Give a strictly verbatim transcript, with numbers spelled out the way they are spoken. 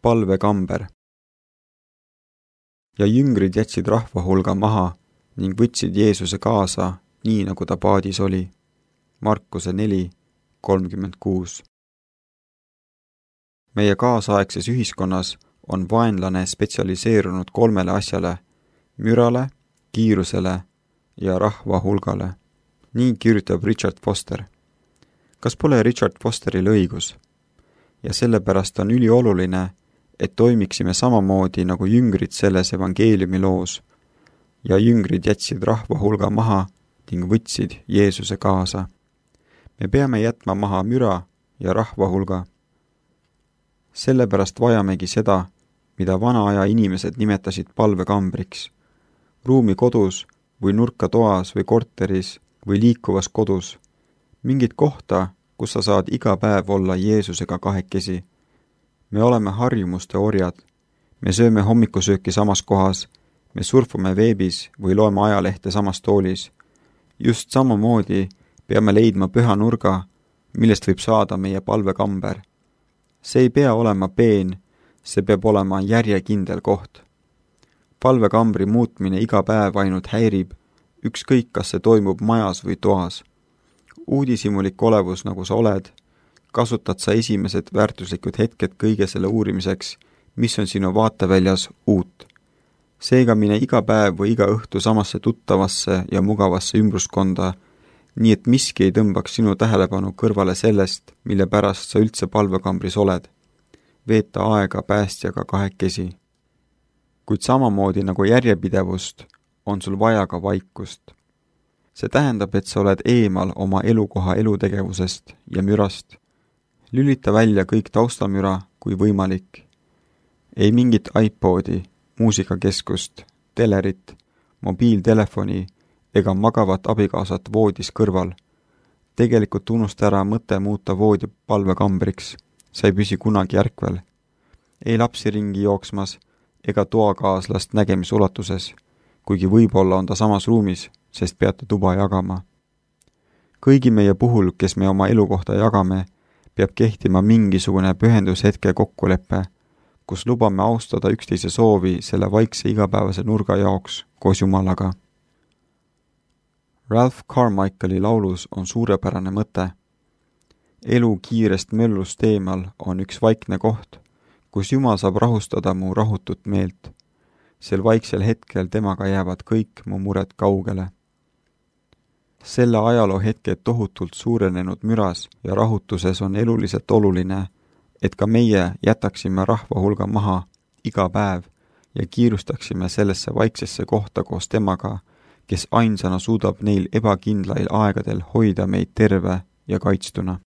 palvekamber. Ja jüngrid jätsid rahva hulga maha ning võtsid Jeesuse kaasa, nii nagu ta paadis oli. Markuse neli kolmkümmend kuus. Meie kaasaegses ühiskonnas on vaenlane spetsialiseerunud kolmele asjale: mürale, kiirusele ja rahva hulgale. Nii kirjutab Richard Foster. Kas pole Richard Fosteril õigus? Ja sellepärast on ülioluline, et toimiksime samamoodi nagu jüngrid selles evangeeliumi loos. Ja jüngrid jätsid rahva hulga maha ning võtsid Jeesuse kaasa. Me peame jätma maha müra ja rahva hulga. Sellepärast vajamegi seda, mida vana aja inimesed nimetasid palvekambriks. Ruumi kodus või nurka toas või korteris või liikuvas kodus. Mingit kohta, kus sa saad iga päev olla Jeesusega kahekesi. Me oleme harjumuste orjad. Me sööme hommikusööki samas kohas, me surfame veebis või loeme ajalehte samas toolis. Just samamoodi peame leidma püha nurga, millest võib saada meie palvekamber. See ei pea olema peen, see peab olema järjekindel koht. Palvekambri muutmine iga päev ainult häirib, ükskõik kas see toimub majas või toas. Uudishimulik olevus, nagu sa oled, kasutad sa esimesed väärtuslikud hetked kõige selle uurimiseks, mis on sinu vaateväljas uut. Seega mine iga päev või iga õhtu samasse tuttavasse ja mugavasse ümbruskonda, nii et miski ei tõmbaks sinu tähelepanu kõrvale sellest, mille pärast sa üldse palvekambris oled. Veeta aega päästjaga kahekesi. Kuid samamoodi nagu järjepidevust, on sul vaja ka vaikust. See tähendab, et sa oled eemal oma elukoha elutegevusest ja mürast. Lülita välja kõik taustamüra kui võimalik. Ei mingit iPodi, muusikakeskust, telerit, mobiiltelefoni ega magavat abikaasat voodis kõrval. Tegelikult unusta ära mõte muuta voodi palvekambriks. Sa ei püsi kunagi järkvel. Ei lapsi ringi jooksmas ega toakaaslast nägemisulatuses, kuigi võib-olla on ta samas ruumis, sest peate tuba jagama. Kõigi meie puhul, kes me oma elukohta jagame, peab kehtima mingisugune pühendushetke kokkuleppe, kus lubame austada üksteise soovi selle vaikse igapäevase nurga jaoks koos Jumalaga. Ralph Carmichaeli laulus on suurepärane mõte. Elu kiirest möllust eemal on üks vaikne koht, kus Jumal saab rahustada mu rahutut meelt. Sel vaiksel hetkel temaga jäävad kõik mu mured kaugele. Selle ajaloo hetked tohutult suurenenud müras ja rahutuses on eluliselt oluline, et ka meie jätaksime rahva hulga maha iga päev ja kiirustaksime sellesse vaiksesse kohta koos temaga, kes ainsana suudab neil ebakindlail aegadel hoida meid terve ja kaitstuna.